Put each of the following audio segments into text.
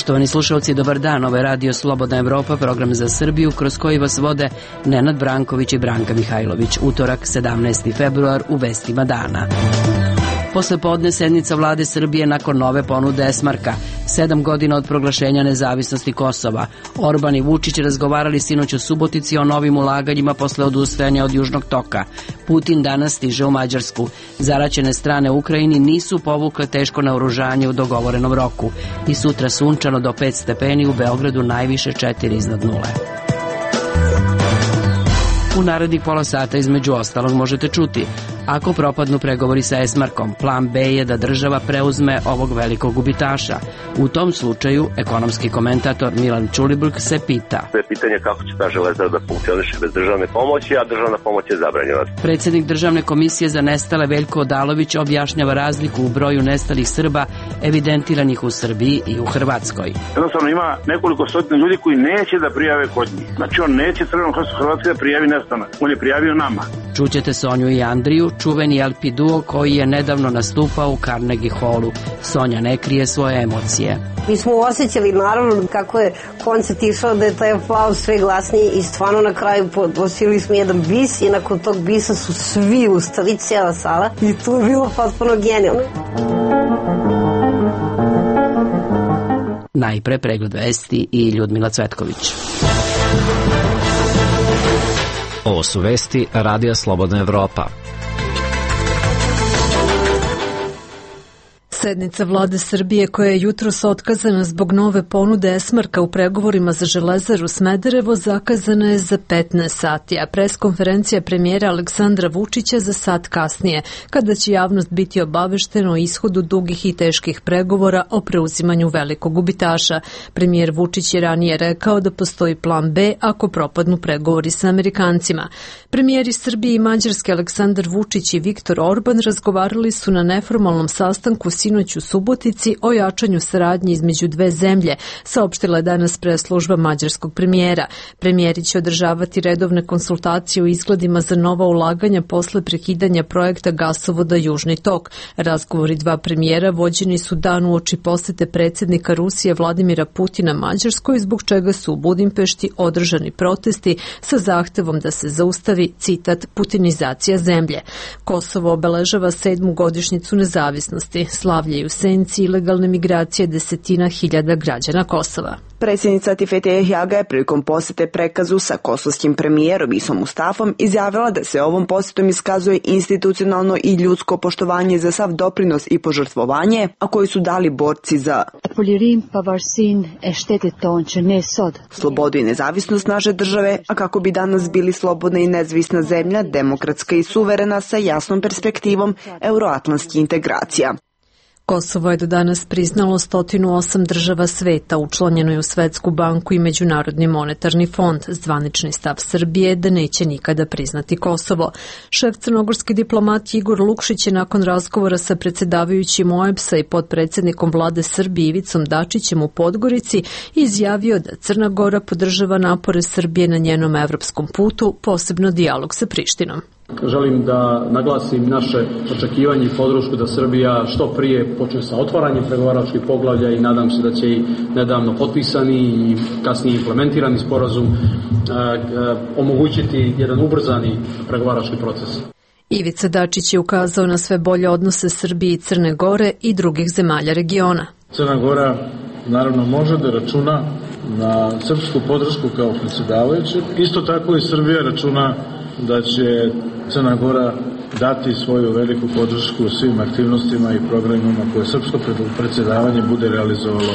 Poštovani slušalci, dobar dan. Ovo je Radio Slobodna Evropa, program za Srbiju, kroz koji vas vode Nenad Branković i Branka Mihajlović. Utorak, 17. februar, u vestima dana. Posle podne sednica vlade Srbije nakon nove ponude Esmarka. 7 godina od proglašenja nezavisnosti Kosova. Orban i Vučić razgovarali sinoć u Subotici o novim ulaganjima posle odustajanja od Južnog toka. Putin danas stiže u Mađarsku. Zaraćene strane u Ukrajini nisu povukle teško naoružanje u dogovorenom roku. I sutra sunčano do 5 stepeni, u Beogradu najviše 4 iznad nule. U narednih pola sata između ostalog možete čuti: ako propadnu pregovori sa Esmarkom, plan B je da država preuzme ovog velikog gubitaša. U tom slučaju, ekonomski komentator Milan Ćulibrk se pita. To je pitanje kako će ta Železara da funkcioniše bez državne pomoći, a državna pomoć je zabranjena. Predsjednik Državne komisije za nestale Veljko Odalović objašnjava razliku u broju nestalih Srba evidentiranih u Srbiji i u Hrvatskoj. Jednostavno ima nekoliko stotina ljudi koji neće da prijave kod njih. Znači on neće Crvenom krstu Hrvatske da prijavi nestanak. On je prijavio nama. Čućete Sonju i Andriju, čuveni LP duo koji je nedavno nastupao u Carnegie Hallu. Sonja ne krije svoje emocije. Mi smo osjećali naravno kako je koncert išao, da je taj aplauz sve glasniji i stvarno na kraju posili smo jedan bis i nakon tog bisa su svi ustali, cijela sala, i to je bilo potpuno genijalno. Najpre pregled vesti i Ljudmila Cvetković. Ovo su vesti Radija Slobodna Evropa. Sednica vlade Srbije, koja je jutros otkazana zbog nove ponude Esmarka u pregovorima za Železaru Smederevo, zakazana je za 15 sati, a preskonferencija premijera Aleksandra Vučića za sat kasnije, kada će javnost biti obaveštena o ishodu dugih i teških pregovora o preuzimanju velikog gubitaša. Premijer Vučić je ranije rekao da postoji plan B ako propadnu pregovori sa Amerikancima. Premijeri Srbije i Mađarske Aleksandar Vučić i Viktor Orban razgovarali su na neformalnom sastanku sinoć u Subotici o jačanju saradnje između dve zemlje, saopštila je danas press-služba mađarskog premijera. Premijeri će održavati redovne konsultacije o izgledima za nova ulaganja posle prekidanja projekta gasovoda Južni tok. Razgovori dva premijera vođeni su dan uoči posete predsjednika Rusije Vladimira Putina Mađarskoj, zbog čega su u Budimpešti održani protesti sa zahtevom da se zaustavi, citat, putinizacija zemlje. Kosovo obeležava 7. godišnjicu nezavisnosti. Slavljaju senci ilegalne migracije desetina hiljada građana Kosova. Predsjednica Tifete Ehjaga je prilikom posete prekazu sa kosovskim premijerom Isom Mustafom izjavila da se ovom posetom iskazuje institucionalno i ljudsko poštovanje za sav doprinos i požrtvovanje, a koji su dali borci za slobodu i nezavisnost naše države, a kako bi danas bili slobodna i nezavisna zemlja, demokratska i suverena sa jasnom perspektivom euroatlantskih integracija. Kosovo je do danas priznalo 108 država sveta, učlanjeno je u Svetsku banku i Međunarodni monetarni fond. Zvanični stav Srbije je da neće nikada priznati Kosovo. Šef crnogorski diplomat Igor Lukšić je nakon razgovora sa predsjedavajućim OEBS-a i potpredsjednikom vlade Srbije Ivicom Dačićem u Podgorici izjavio da Crna Gora podržava napore Srbije na njenom evropskom putu, posebno dijalog sa Prištinom. Želim da naglasim naše očekivanje i podršku da Srbija što prije počne sa otvaranjem pregovaračkih poglavlja i nadam se da će i nedavno potpisani i kasnije implementirani sporazum omogućiti jedan ubrzani pregovarački proces. Ivica Dačić je ukazao na sve bolje odnose Srbije i Crne Gore i drugih zemalja regiona. Crna Gora naravno može da računa na srpsku podršku kao predsjedavajućeg. Isto tako i Srbija računa da će Crna Gora dati svoju veliku podršku svim aktivnostima i programima koje srpsko predsjedavanje bude realizovalo.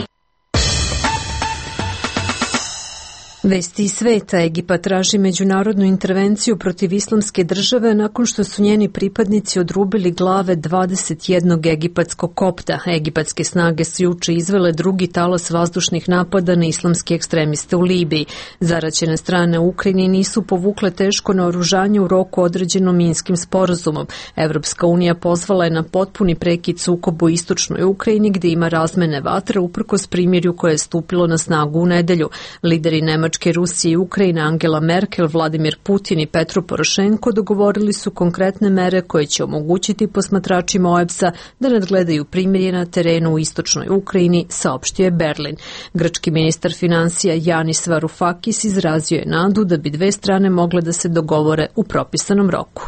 Vesti iz sveta. Egipat traži međunarodnu intervenciju protiv islamske države nakon što su njeni pripadnici odrubili glave 21 egipatskog kopta. Egipatske snage su juče izvele drugi talas vazdušnih napada na islamske ekstremiste u Libiji. Zaraćene strane u Ukrajini nisu povukle teško naoružanje u roku određenom Minskim sporazumom. Evropska unija pozvala je na potpuni prekid sukoba u istočnoj Ukrajini, gde ima razmene vatre uprkos primirju koje je stupilo na snagu u nedelju. Lideri Nemačke Nemačke, Rusije i Ukrajine Angela Merkel, Vladimir Putin i Petro Porošenko dogovorili su konkretne mere koje će omogućiti posmatračima OEBS-a da nadgledaju primirje na terenu u istočnoj Ukrajini, saopštio je Berlin. Grčki ministar financija Yanis Varoufakis izrazio je nadu da bi dve strane mogle da se dogovore u propisanom roku.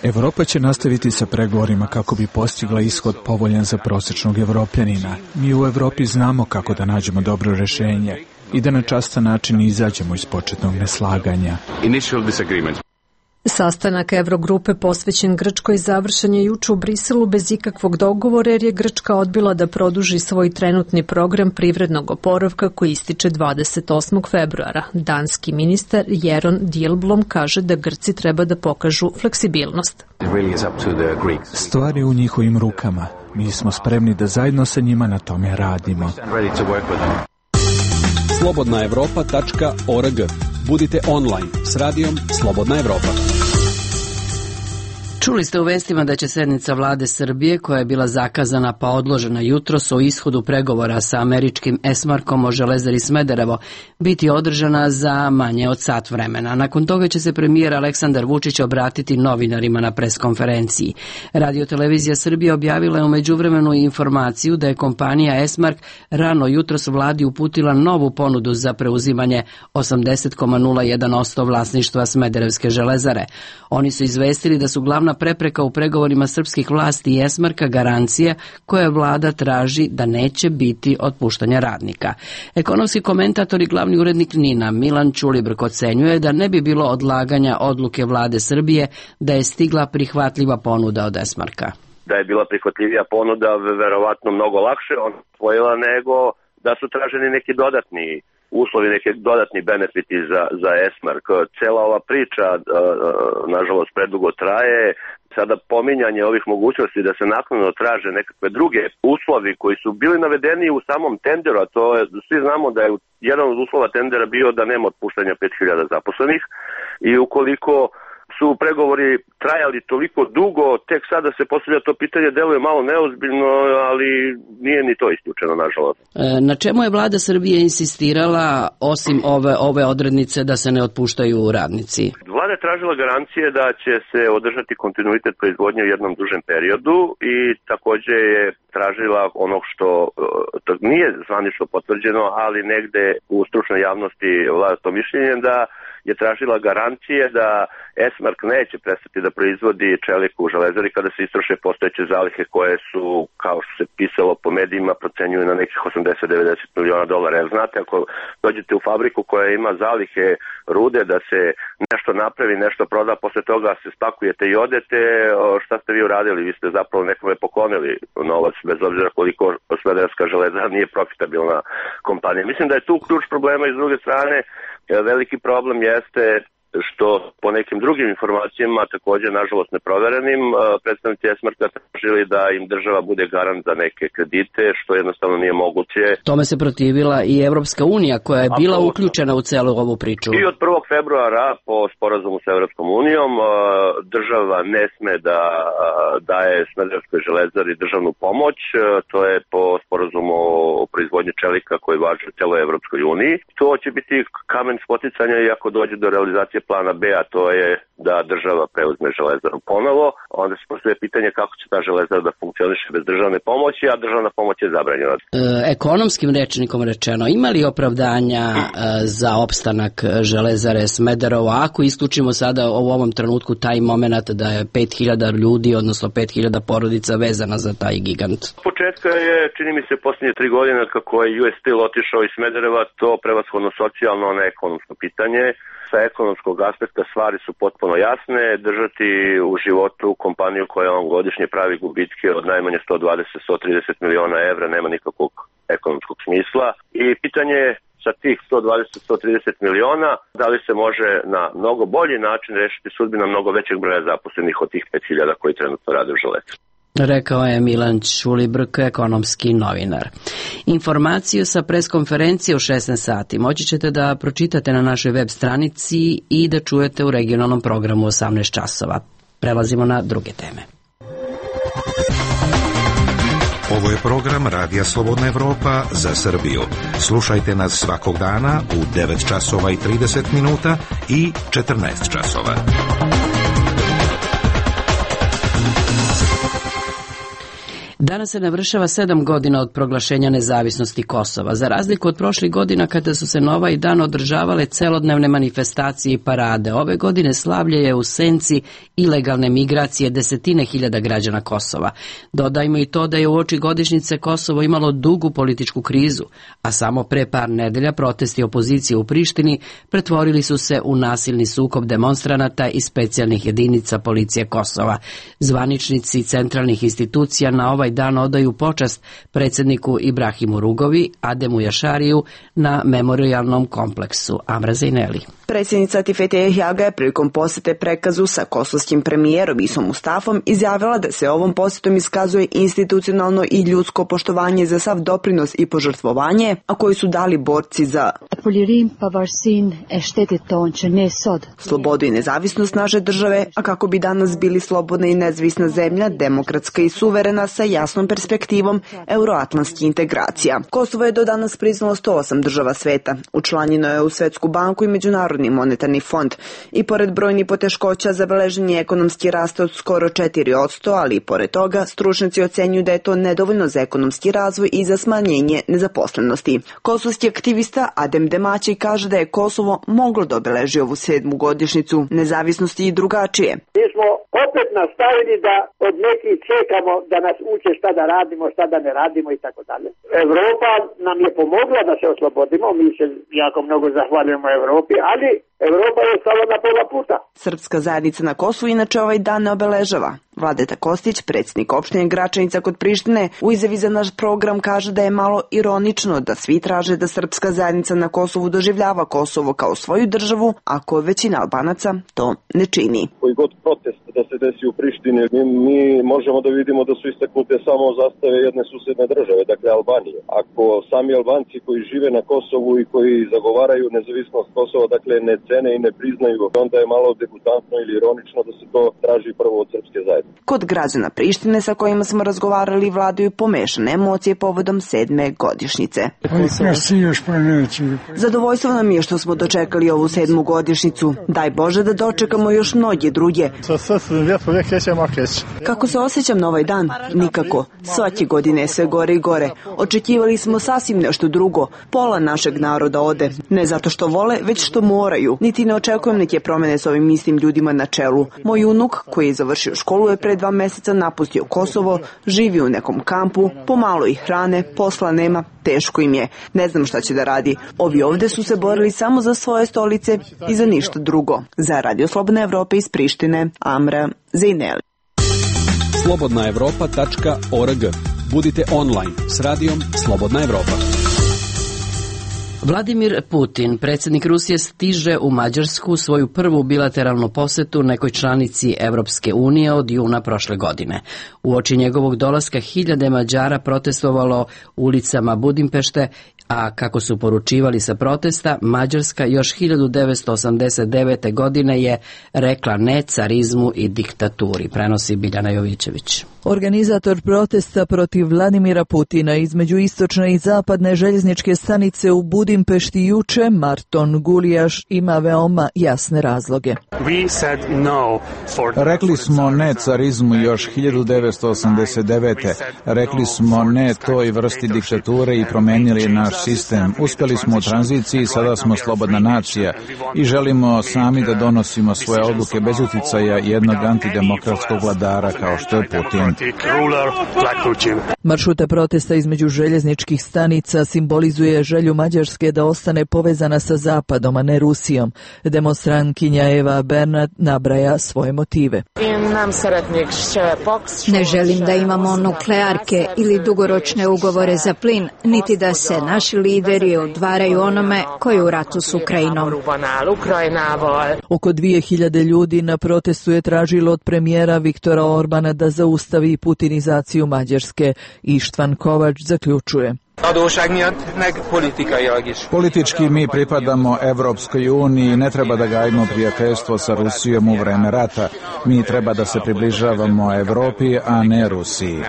Evropa će nastaviti sa pregovorima kako bi postigla ishod povoljan za prosječnog Evropljanina. Mi u Evropi znamo kako da nađemo dobro rešenje i da na častan način izađemo iz početnog neslaganja. Sastanak Evrogrupe posvećen Grčkoj završen je juče u Briselu bez ikakvog dogovora jer je Grčka odbila da produži svoj trenutni program privrednog oporavka koji ističe 28. februara. Danski ministar Jeroen Dijsselbloem kaže da Grci treba da pokažu fleksibilnost. Stvar je u njihovim rukama. Mi smo spremni da zajedno sa njima na tome radimo. slobodnaevropa.org. Budite online s radijom Slobodna Evropa. Čuli ste u vestima da će sednica vlade Srbije, koja je bila zakazana pa odložena jutros o ishodu pregovora sa američkim Esmarkom o Železari Smederevo, biti održana za manje od sat vremena. Nakon toga će se premijer Aleksandar Vučić obratiti novinarima na preskonferenciji. Radio-televizija Srbije objavila je u međuvremenu informaciju da je kompanija Esmark rano jutros vladi uputila novu ponudu za preuzimanje 80,01% vlasništva Smederevske železare. Oni su izvestili da su glavna prepreka u pregovorima srpskih vlasti i Esmarka garancija koje vlada traži da neće biti otpuštanja radnika. Ekonomski komentator i glavni urednik NIN-a Milan Ćulibrk ocenjuje da ne bi bilo odlaganja odluke vlade Srbije da je stigla prihvatljiva ponuda od Esmarka. Da je bila prihvatljivija ponuda, verovatno mnogo lakše on osvojila nego da su traženi neki dodatni uslovi, neki dodatni benefiti za Esmark. Cela ova priča, nažalost, predugo traje. Sada pominjanje ovih mogućnosti da se naknadno traže nekakve druge uslovi koji su bili navedeni u samom tenderu, a to je, svi znamo da je jedan od uslova tendera bio da nema otpuštanja 5000 zaposlenih i ukoliko su pregovori trajali toliko dugo, tek sada se postavlja to pitanje, deluje malo neozbiljno, ali nije ni to isključeno, nažalost. Na čemu je vlada Srbije insistirala, osim ove odrednice da se ne otpuštaju radnici? Vlada je tražila garancije da će se održati kontinuitet proizvodnje u jednom dužem periodu i takođe je tražila ono što to nije zvanično potvrđeno, ali negde u stručnoj javnosti vlada to mišljenje da je tražila garancije da Esmark neće prestati da proizvodi čeliku u železari kada se istroše postojeće zalihe koje su, kao što se pisalo po medijima, procenjuju na nekih 80-90 miliona dolara. Jer znate, ako dođete u fabriku koja ima zalihe rude da se nešto napravi, nešto proda, posle toga se spakujete i odete, šta ste vi uradili? Vi ste zapravo nekome poklonili novac, bez obzira koliko Smederevska železara nije profitabilna kompanija. Mislim da je tu ključ problema i s druge strane veliki problem jeste što po nekim drugim informacijama, također nažalost neproverenim, predstavnici Esmarka tražili da im država bude garant za neke kredite, što jednostavno nije moguće. Tome se protivila i Evropska unija koja je bila uključena u celu ovu priču. I od 1. februara po sporazumu sa Evropskom unijom država ne sme da daje Smederevskoj železari državnu pomoć, to je po sporazumu o proizvodnji čelika koji važi u celoj Evropskoj uniji. To će biti kamen spoticanja i ako dođe do realizacije plana B, a to je da država preuzme železaru ponovo, onda se postavlja pitanje kako će ta železara da funkcioniše bez državne pomoći, a državna pomoć je zabranjena. Ekonomskim rečnikom rečeno, ima li opravdanja za opstanak železare Smederevo, ako isključimo sada u ovom trenutku taj moment da je 5000 ljudi, odnosno 5000 porodica vezana za taj gigant? Početka je, čini mi se, posljednje 3 godine kako je US Steel otišao iz Smedereva, to prevashodno socijalno, a ne ekonomsko pitanje. Sa ekonomskog aspekta stvari su potpuno jasne. Držati u životu kompaniju koja vam godišnje pravi gubitke od najmanje 120-130 miliona evra nema nikakvog ekonomskog smisla. I pitanje je sa tih 120-130 miliona da li se može na mnogo bolji način rešiti sudbina mnogo većeg broja zaposlenih od tih 5000 koji trenutno rade u železari. Rekao je Milan Ćulibrk, ekonomski novinar. Informaciju sa preskonferencije u 16 sati moći ćete da pročitate na našoj web stranici i da čujete u regionalnom programu 18 časova. Prelazimo na druge teme. Ovo je program Radija Slobodna Evropa za Srbiju. Slušajte nas svakog dana u 9 časova i 30 minuta i 14 časova. Danas se navršava 7 godina od proglašenja nezavisnosti Kosova. Za razliku od prošlih godina kada su se na ovaj dan održavale celodnevne manifestacije i parade, ove godine slavlje je u senci ilegalne migracije desetine hiljada građana Kosova. Dodajmo i to da je uoči godišnjice Kosovo imalo dugu političku krizu, a samo pre par nedelja protesti opozicije u Prištini pretvorili su se u nasilni sukob demonstranata i specijalnih jedinica policije Kosova. Zvaničnici centralnih institucija na ovaj dan odaju počast predsjedniku Ibrahimu Rugovi, Ademu Jašariju na memorijalnom kompleksu. Amra Zejneli. Predsjednica Tifete Hjaga je prilikom posete prekazu sa kosovskim premijerom Isom Mustafom izjavila da se ovom posetom iskazuje institucionalno i ljudsko poštovanje za sav doprinos i požrtvovanje, a koji su dali borci za slobodu i nezavisnost naše države, a kako bi danas bili slobodna i nezavisna zemlja, demokratska i suverena sa jasnom perspektivom euroatlantskih integracija. Kosovo je do danas priznalo 108 država sveta, učlanjeno je u Svetsku banku i Međunarodni monetarni fond i pored brojnih poteškoća zabeležen je ekonomski rast od skoro 4%, ali i pored toga stručnjaci ocenjuju da je to nedovoljno za ekonomski razvoj i za smanjenje nezaposlenosti. Kosovski aktivista Adem Demaći kaže da je Kosovo moglo da obeleži ovu 7. godišnjicu nezavisnosti i drugačije. Mi smo opet nastavili da od nekih čekamo da nas uče šta da radimo, šta da ne radimo i tako dalje. Evropa nam je pomogla da se oslobodimo, mi se jako mnogo zahvaljujemo Evropi, ali Evropa je stala na pola puta. Srpska zajednica na Kosovu inače ovaj dan ne obeležava. Vladeta Kostić, predsjednik opštine Gračanica kod Prištine, u izjavi za naš program kaže da je malo ironično da svi traže da srpska zajednica na Kosovu doživljava Kosovo kao svoju državu, ako većina Albanaca to ne čini. Koji god protest da se desi u Prištini, mi možemo da vidimo da su istaknute samo zastave jedne susedne države, dakle Albanije. Ako sami Albanci koji žive na Kosovu i koji zagovaraju nezavisnost Kosova, dakle ne cene i ne priznaju, onda je malo degutantno ili ironično da se to traži prvo od srpske zajednice. Kod građana Prištine sa kojima smo razgovarali vladaju pomešane emocije povodom 7. godišnjice. Zadovoljstvo nam je što smo dočekali ovu 7. godišnjicu. Daj Bože da dočekamo još mnoge druge. Kako se osjećam na ovaj dan? Nikako. Svake godine je sve gore i gore. Očekivali smo sasvim nešto drugo. Pola našeg naroda ode. Ne zato što vole, već što moraju. Niti ne očekujem neke promene s ovim istim ljudima na čelu. Moj unuk, koji je završio školu, je pre 2 meseca napustio Kosovo, živi u nekom kampu, pomalo ih hrane, posla nema, teško im je. Ne znam šta će da radi. Ovi ovde su se borili samo za svoje stolice i za ništa drugo. Za Radio Slobodna Evropa iz Prištine, Amra Zejneli. slobodnaevropa.org. Budite online s radijom Slobodna Evropa. Vladimir Putin, predsjednik Rusije, stiže u Mađarsku svoju prvu bilateralnu posetu nekoj članici Evropske unije od juna prošle godine. Uoči njegovog dolaska hiljade Mađara protestovalo ulicama Budimpešte, a kako su poručivali sa protesta, Mađarska još 1989. godine je rekla ne carizmu i diktaturi, prenosi Biljana Jovićević. Organizator protesta protiv Vladimira Putina između istočne i zapadne željezničke stanice u Budimpešti juče, Marton Gulijaš, ima veoma jasne razloge. Rekli smo ne carizmu još 1989. Rekli smo ne toj vrsti diktature i promenili naš sistem. Uspjeli smo u tranziciji, sada smo slobodna nacija i želimo sami da donosimo svoje odluke bez uticaja jednog antidemokratskog vladara kao što je Putin. Maršruta protesta između željezničkih stanica simbolizuje želju Mađarske da ostane povezana sa Zapadom, a ne Rusijom. Demonstrantkinja Eva Bernat nabraja svoje motive. Ne želim da imamo nuklearke ili dugoročne ugovore za plin, niti da se naši lideri odvaraju onome koji je u ratu s Ukrajinom. Oko 2000 ljudi na protestu je tražilo od premijera Viktora Orbana da zaustavi putinizaciju Mađarske. Ištvan Kovač zaključuje. Politički mi pripadamo Evropskoj uniji i ne treba da gajimo prijateljstvo sa Rusijom u vreme rata. Mi treba da se približavamo Evropi, a ne Rusiji.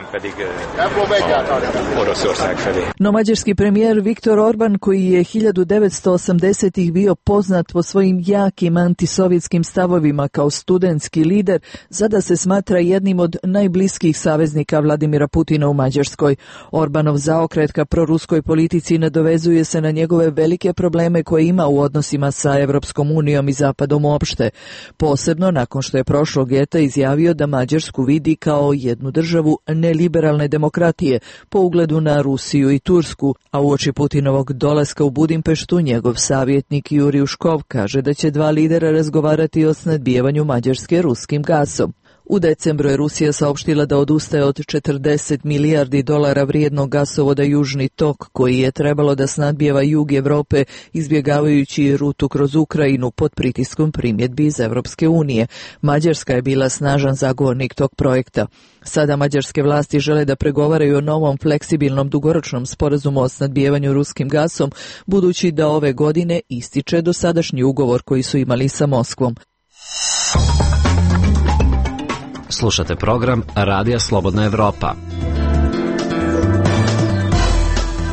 No mađarski premijer Viktor Orban, koji je 1980-ih bio poznat po svojim jakim antisovjetskim stavovima kao studentski lider, sada se smatra jednim od najbliskih saveznika Vladimira Putina u Mađarskoj. Orbanov zaokret ka proruskoj politici nadovezuje se na njegove velike probleme koje ima u odnosima sa Evropskom unijom i Zapadom uopšte. Posebno nakon što je prošlog ljeta izjavio da Mađarsku vidi kao jednu državu neliberalne demokratije po ugledu na Rusiju i Tursku, a uoči Putinovog dolaska u Budimpeštu njegov savjetnik Juri Uškov kaže da će dva lidera razgovarati o snadbijevanju Mađarske ruskim gasom. U decembru je Rusija saopštila da odustaje od 40 milijardi dolara vrijednog gasovoda Južni tok, koji je trebalo da snadbijeva jug Evrope izbjegavajući rutu kroz Ukrajinu pod pritiskom primjedbi iz Evropske unije. Mađarska je bila snažan zagovornik tog projekta. Sada mađarske vlasti žele da pregovaraju o novom fleksibilnom dugoročnom sporazumu o snadbijevanju ruskim gasom, budući da ove godine ističe dosadašnji ugovor koji su imali sa Moskvom. Slušate program Radija Slobodna Evropa.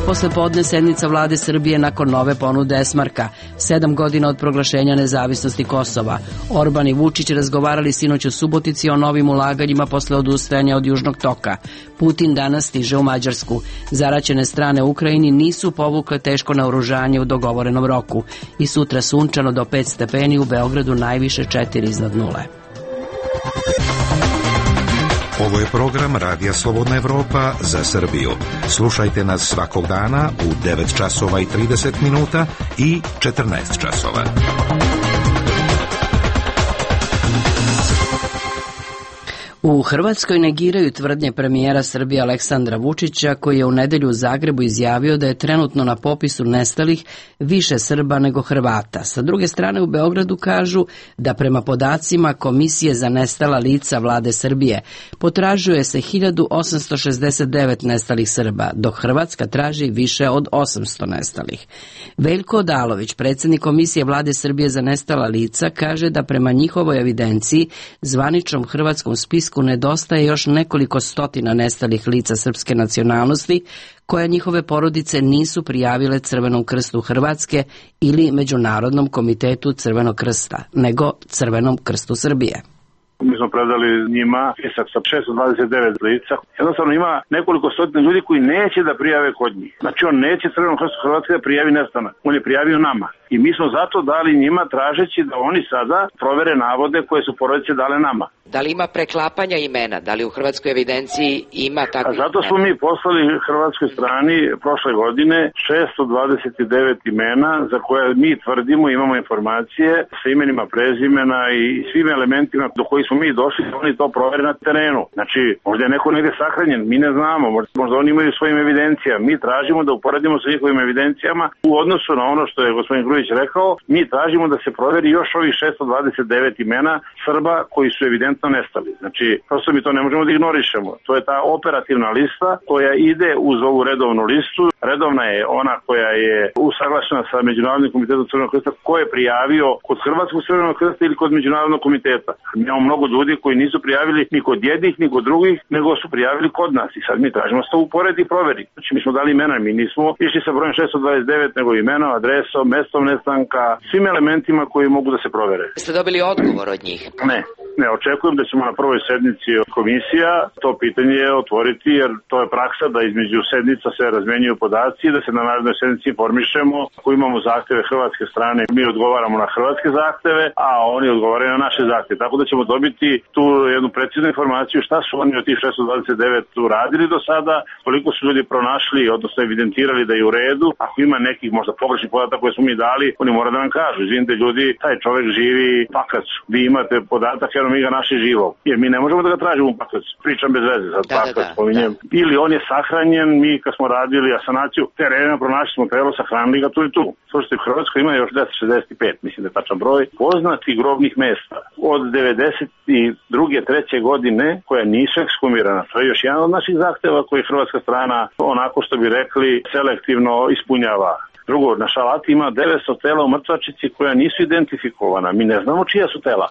Posle podne sednica vlade Srbije nakon nove ponude Esmarka, 7 godina od proglašenja nezavisnosti Kosova. Orban i Vučić razgovarali sinoć u Subotici o novim ulaganjima posle odustajanja od Južnog toka. Putin danas stiže u Mađarsku. Zaraćene strane u Ukrajini nisu povukle teško naoružanje u dogovorenom roku. I sutra sunčano do 5 stepeni, u Beogradu najviše 4 iznad nule. Ovo je program Radija Slobodna Evropa za Srbiju. Slušajte nas svakog dana u 9 časova i 30 minuta i 14 časova. U Hrvatskoj negiraju tvrdnje premijera Srbije Aleksandra Vučića, koji je u nedelju u Zagrebu izjavio da je trenutno na popisu nestalih više Srba nego Hrvata. Sa druge strane u Beogradu kažu da prema podacima Komisije za nestala lica vlade Srbije potražuje se 1869 nestalih Srba, dok Hrvatska traži više od 800 nestalih. Veljko Odalović, predsjednik Komisije vlade Srbije za nestala lica, kaže da prema njihovoj evidenciji zvaničnom hrvatskom spisku nedostaje još nekoliko stotina nestalih lica srpske nacionalnosti koja njihove porodice nisu prijavile Crvenom krstu Hrvatske ili Međunarodnom komitetu Crvenog krsta, nego Crvenom krstu Srbije. Mi smo predali njima spisak sa 629 lica. Jednostavno ima nekoliko stotina ljudi koji neće da prijave kod njih. Znači on neće Crvenom krstu Hrvatske da prijavi nestanak. On je prijavio nama. I mi smo zato dali njima tražeći da oni sada provere navode koje su porodice dale nama. Da li ima preklapanja imena? Da li u hrvatskoj evidenciji ima takvih imena? Zato smo mi poslali hrvatskoj strani prošle godine 629 imena za koje mi tvrdimo, imamo informacije sa imenima, prezimena i svim elementima do kojih smo mi došli, oni to provere na terenu. Znači, možda je neko negde sahranjen, mi ne znamo, možda oni imaju svojim evidencijama. Mi tražimo da uporedimo sa njihovim evidencijama u odnosu na ono što je gospodin Grujić rekao, mi tražimo da se proveri još ovih 629 imena Srba koji su evidentno nestali. Znači, prosto mi to ne možemo da ignorišemo. To je ta operativna lista koja ide uz ovu redovnu listu. Redovna je ona koja je usaglašena sa Međunarodnim komitetom Crvenog krsta, ko je prijavio kod Hrvatskog Crvenog krsta ili kod Međunarodnog komiteta. Mi imamo mnogo ljudi koji nisu prijavili ni kod jednih, ni kod drugih, nego su prijavili kod nas. I sad mi tražimo da se to uporedi i proveri. Znači, mi smo dali imena, mi nismo išli sa brojem 629, nego imenom, adresom, mestom nestanka, svim elementima koji mogu da se provere. Ste dobili odgovor od njih? Ne, očekujem da ćemo na prvoj sednici komisija to pitanje otvoriti, jer to je praksa da između sednica se razmenjuju podaci, da se na narednoj sednici informišemo. Ako imamo zahteve hrvatske strane, mi odgovaramo na hrvatske zahteve, a oni odgovaraju na naše zahteve. Tako da ćemo dobiti tu jednu preciznu informaciju šta su oni od tih 629 uradili do sada, koliko su ljudi pronašli, odnosno evidentirali da je u redu. Ako ima nekih možda pogrešnih podataka koje smo mi dali, oni moraju da nam kažu. Izvinite ljudi, taj čovjek živi Pakracu. Vi imate podatak, evo mi ga naši živog. Jer mi ne možemo da ga tražimo u Pakrac. Pričam bez veze, sad Pakrac spominjem. Ili on je sahranjen, mi kad smo radili asanaciju terena, pronašli smo telo, sahranili ga tu i tu. Slušajte, u Hrvatskoj ima još 1065, mislim da je tačan broj, poznati grobnih mesta. Od 92. 3. godine koja nisu ekshumirana. To je još jedan od naših zahteva koji hrvatska strana, onako što bi rekli, selektivno ispunjava. Drugo, na Šalati ima 900 tela u mrtvačici koja nisu identifikovana. Mi ne znamo čija su tela.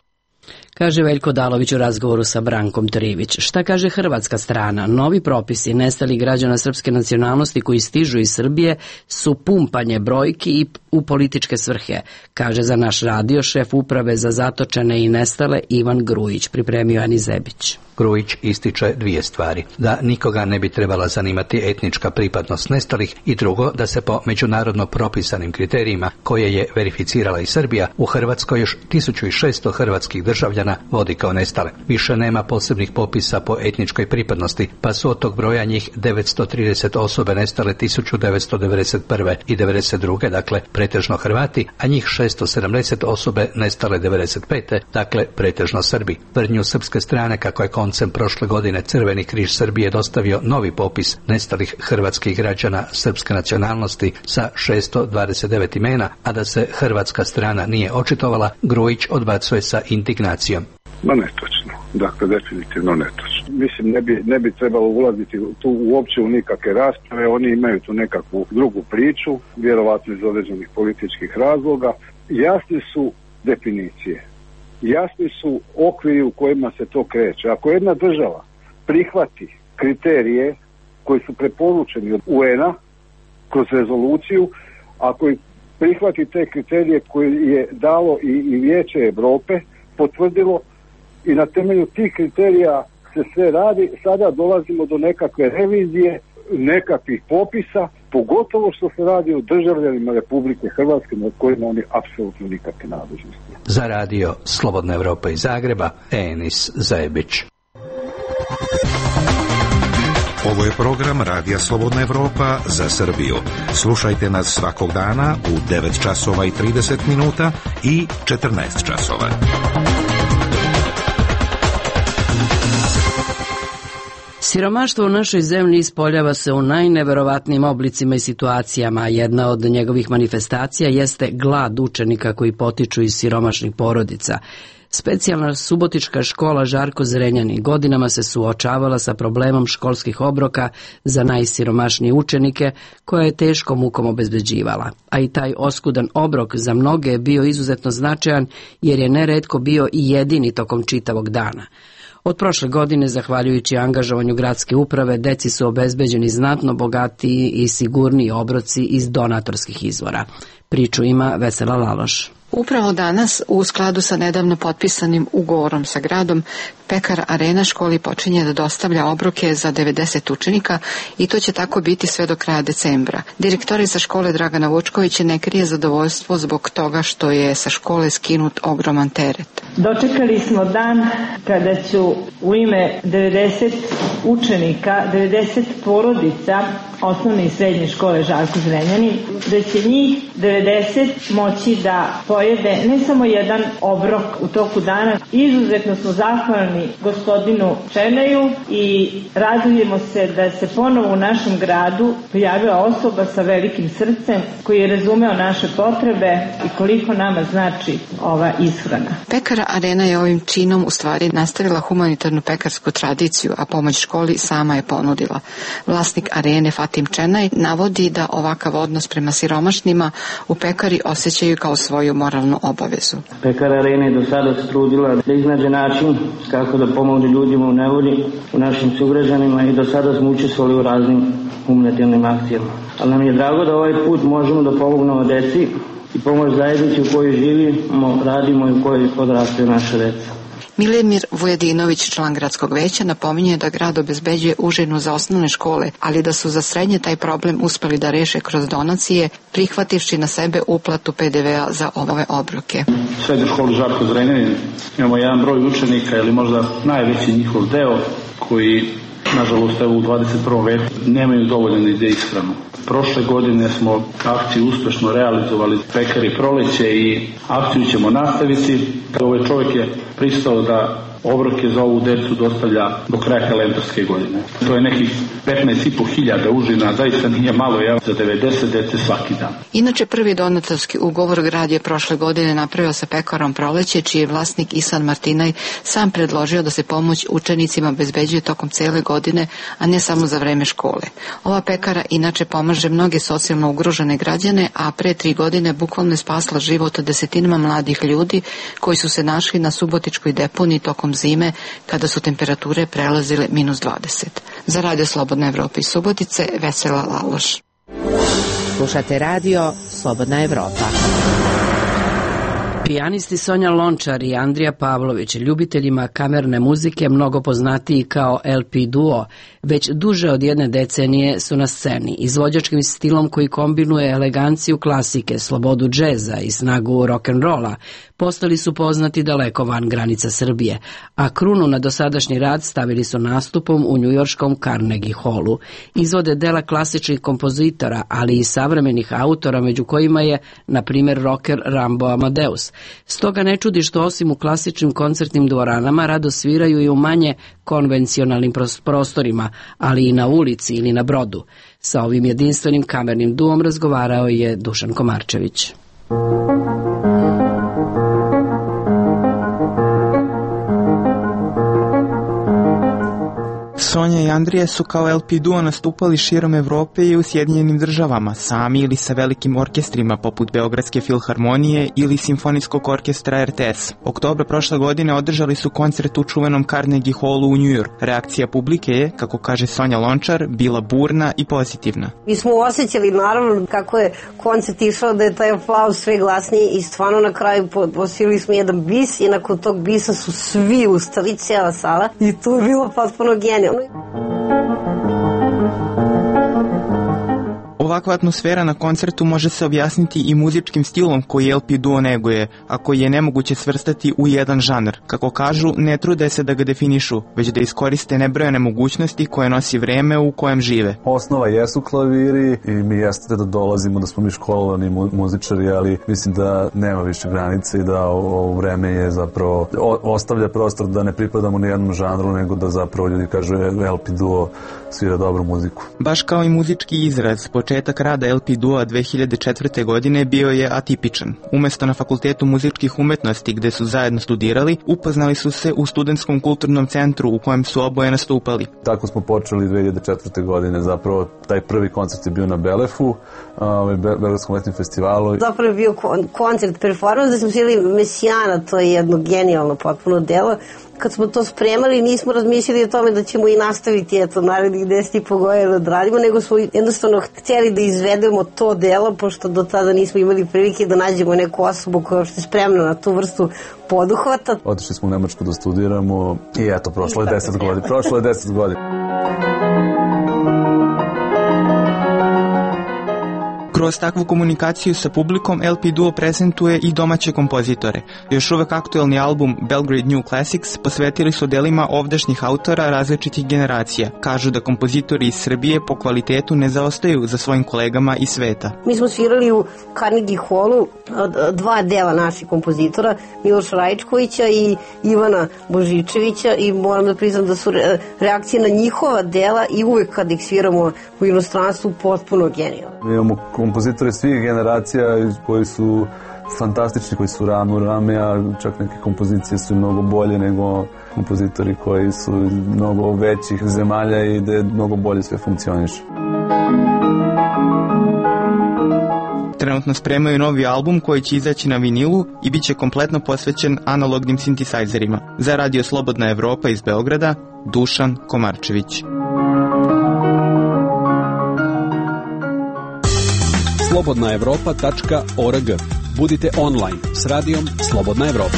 Kaže Veljko Dalović u razgovoru sa Brankom Trivić. Šta kaže hrvatska strana? Novi propisi nestalih građana srpske nacionalnosti koji stižu iz Srbije su pumpanje brojki i u političke svrhe, kaže za naš radio šef uprave za zatočene i nestale Ivan Grujić, pripremio Ani Zebić. Grujić ističe dvije stvari. Da nikoga ne bi trebala zanimati etnička pripadnost nestalih i drugo, da se po međunarodno propisanim kriterijima koje je verificirala i Srbija, u Hrvatskoj još 1600 hrvatskih državljana vodi kao nestale. Više nema posebnih popisa po etničkoj pripadnosti, pa su od tog broja njih 930 osobe nestale 1991. i 92. dakle pretežno Hrvati, a njih 670 osobe nestale 95. dakle pretežno Srbi. Tvrdnju srpske strane kako je koncem prošle godine Crveni križ Srbije dostavio novi popis nestalih hrvatskih građana srpske nacionalnosti sa 629 imena, a da se hrvatska strana nije očitovala, Grujić odbacuje sa indignacijom. Ma netočno, dakle definitivno netočno. Mislim ne bi trebalo ulaziti tu uopće u nikakve rasprave, oni imaju tu nekakvu drugu priču, vjerovatno iz određenih političkih razloga. Jasne su definicije, jasni su okviri u kojima se to kreće. Ako jedna država prihvati kriterije koji su preporučeni od UN-a kroz rezoluciju, ako prihvati te kriterije koje je dalo i Vijeće Europe, potvrdilo, i na temelju tih kriterija se sve radi, sada dolazimo do nekakve revizije, nekakvih popisa, pogotovo što se radi o državljanima Republike Hrvatske nad kojima oni apsolutno nikakve nadležnosti. Za radio Slobodna Evropa iz Zagreba, Enis Zajebić. Ovo je program Radija Slobodna Evropa za Srbiju. Slušajte nas svakog dana u 9 časova i 30 minuta i 14 časova. Siromaštvo u našoj zemlji ispoljava se u najneverovatnijim oblicima i situacijama. Jedna od njegovih manifestacija jeste glad učenika koji potiču iz siromašnih porodica. Specijalna subotička škola Žarko Zrenjanin godinama se suočavala sa problemom školskih obroka za najsiromašnije učenike koje je teškom mukom obezbeđivala. A i taj oskudan obrok za mnoge je bio izuzetno značajan jer je neretko bio i jedini tokom čitavog dana. Od prošle godine, zahvaljujući angažovanju gradske uprave, deci su obezbeđeni znatno bogatiji i sigurniji obroci iz donatorskih izvora. Priču ima Vesela Laloš. Upravo danas, u skladu sa nedavno potpisanim ugovorom sa gradom, Pekar Arena školi počinje da dostavlja obroke za 90 učenika i to će tako biti sve do kraja decembra. Direktorica škole Dragana Vučković ne krije zadovoljstvo zbog toga što je sa škole skinut ogroman teret. Dočekali smo dan kada ću u ime 90 učenika, 90 porodica osnovne i srednje škole Žarko Zrenjanin, da će njih 90 moći da pojede ne samo jedan obrok u toku dana. Izuzetno smo zahvalni gospodinu Černaju i radujemo se da se ponovo u našem gradu pojavila osoba sa velikim srcem koji je razumeo naše potrebe i koliko nama znači ova ishrana. Pekara Arena je ovim činom u stvari nastavila humanitarnu pekarsku tradiciju, a pomoć školi sama je ponudila. Vlasnik Arene Fatim Černaj navodi da ovakav odnos prema siromašnima u pekari osjećaju kao svoju moralnu obavezu. Pekara Arena je do sada se trudila da iznađe način kako da pomogne ljudima u nevolji, u našim sugrađanima, i do sada smo učestvovali u raznim humanitarnim akcijama. Ali nam je drago da ovaj put možemo da pomognemo deci i pomoć zajednici u kojoj živimo, radimo i u kojoj odrastaju naše deca. Milimir Vujedinović, član gradskog veća, napominje da grad obezbeđuje užinu za osnovne škole, ali da su za srednje taj problem uspeli da reše kroz donacije, prihvativši na sebe uplatu PDV-a za ove obroke. U srednjoj školi Žarko Zrenjanin imamo jedan broj učenika, ili možda najveći njihov deo, koji, nažalost, u 21. veku nemaju dovoljno za ishranu. Prošle godine smo akciju uspešno realizovali Pekari proleće i akciju ćemo nastaviti. Ovaj čovjek je pristao da obroke za ovu decu dostavlja do kraja kalendarske godine. To je nekih 15.500 užina, zaista nije malo, za 90 dece svaki dan. Inače, prvi donatorski ugovor grad je prošle godine napravio sa pekarom Proleće, čiji je vlasnik Isan Martinaj sam predložio da se pomoć učenicima obezbeđuje tokom cele godine, a ne samo za vreme škole. Ova pekara inače pomaže mnoge socijalno ugrožene građane, a pre 3 godine bukvalno je spasla život desetinama mladih ljudi koji su se našli na subotičkoj deponiji tokom zime kada su temperature prelazile -20. Za Radio Slobodna Evropa iz Subotice, Vesela Laloš. Slušate radio Slobodna Evropa. Pijanisti Sonja Lončar i Andrija Pavlović, ljubiteljima kamerne muzike mnogo poznatiji kao LP duo, već duže od 1 decenije su na sceni. Izvođačkim stilom koji kombinuje eleganciju klasike, slobodu džeza i snagu rock'n'rolla, postali su poznati daleko van granica Srbije, a krunu na dosadašnji rad stavili su nastupom u njujorškom Carnegie Hallu. Izvode dela klasičnih kompozitora, ali i savremenih autora, među kojima je, na primjer, rocker Rambo Amadeus. Stoga ne čudi što osim u klasičnim koncertnim dvoranama rado sviraju i u manje konvencionalnim prostorima, ali i na ulici ili na brodu. Sa ovim jedinstvenim kamernim duom razgovarao je Dušan Komarčević. Sonja i Andrija su kao LP duo nastupali širom Evrope i u Sjedinjenim Državama, sami ili sa velikim orkestrima poput Beogradske filharmonije ili Simfonijskog orkestra RTS. Oktobra prošle godine održali su koncert u čuvenom Carnegie Hallu u New York. Reakcija publike je, kako kaže Sonja Lončar, bila burna i pozitivna. Mi smo osjećali naravno kako je koncert išao, da je taj aplauz sve glasniji i stvarno na kraju posvili smo jedan bis i nakon tog bisa su svi ustali, cijela sala, i to je bilo potpuno genijalno. Ovakva atmosfera na koncertu može se objasniti i muzičkim stilom koji LP duo neguje, a koji je nemoguće svrstati u jedan žanr. Kako kažu, ne trude se da ga definišu, već da iskoriste nebrojene mogućnosti koje nosi vreme u kojem žive. Osnova jesu klaviri i mi jeste da dolazimo, da smo mi školovani muzičari, ali mislim da nema više granice i da ovo vreme je zapravo ostavlja prostor da ne pripadamo ni jednom žanru, nego da zapravo ljudi kažu LP duo svira dobru muziku. Baš kao i muzički izraz, početak rada LP duo 2004. godine bio je atipičan. Umesto na Fakultetu muzičkih umetnosti gde su zajedno studirali, upoznali su se u Studentskom kulturnom centru u kojem su oboje nastupali. Tako smo počeli 2004. godine, zapravo taj prvi koncert je bio na Belefu, Beogradskom letnjem festivalu. Zapravo je bio koncert performans da smo svirali Mesijana, to je jedno genijalno potpuno delo. Kad smo to spremali, nismo razmišljali o tome da ćemo i nastaviti narednih 10,5 godina da radimo, nego smo jednostavno htjeli da izvedemo to delo, pošto do tada nismo imali prilike da nađemo neku osobu koja je spremna na tu vrstu poduhvata. Otišli smo u Nemačku da studiramo i eto, prošlo je 10 godina. Prošlo je 10 godina. Kroz takvu komunikaciju sa publikom LP duo prezentuje i domaće kompozitore. Još uvek aktuelni album Belgrade New Classics posvetili su delima ovdašnjih autora različitih generacija. Kažu da kompozitori iz Srbije po kvalitetu ne zaostaju za svojim kolegama iz sveta. Mi smo svirali u Carnegie Hallu dva dela naših kompozitora, Miloša Rajičkovića i Ivana Božičevića, i moram da priznam da su reakcije na njihova dela i uvek kad ih sviramo u inostranstvu potpuno genijalne. Mi imamo kompozitori svih generacija koji su fantastični, koji su rame u rame, a čak neke kompozicije su mnogo bolje nego kompozitori koji su mnogo većih zemalja i gde mnogo bolje sve funkcioniše. Trenutno spremaju novi album koji će izaći na vinilu i bit će kompletno posvećen analognim sintisajzerima. Za Radio Slobodna Evropa iz Beograda, Dušan Komarčević. slobodnaevropa.org. Budite online s radijom Slobodna Evropa.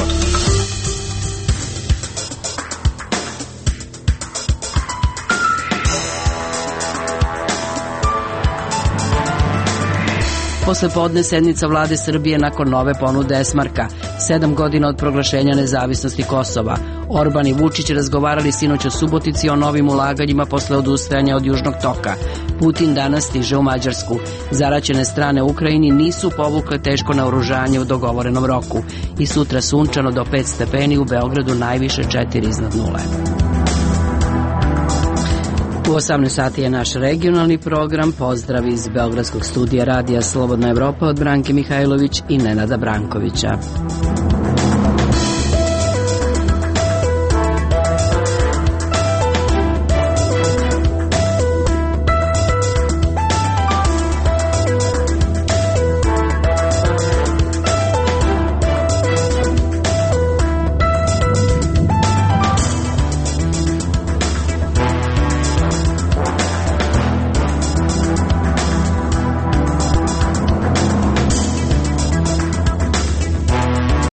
Posle podne sednica vlade Srbije nakon nove ponude Esmarka, 7 godina od proglašenja nezavisnosti Kosova. Orban i Vučić razgovarali sinoć u Subotici o novim ulaganjima posle odustajanja od Južnog toka. Putin danas stiže u Mađarsku. Zaraćene strane u Ukrajini nisu povukle teško naoružanje u dogovorenom roku. I sutra sunčano do 5 stepeni, u Beogradu najviše 4 iznad nule. U 18 sati je naš regionalni program. Pozdrav iz Beogradskog studija Radija Slobodna Evropa od Branke Mihajlović i Nenada Brankovića.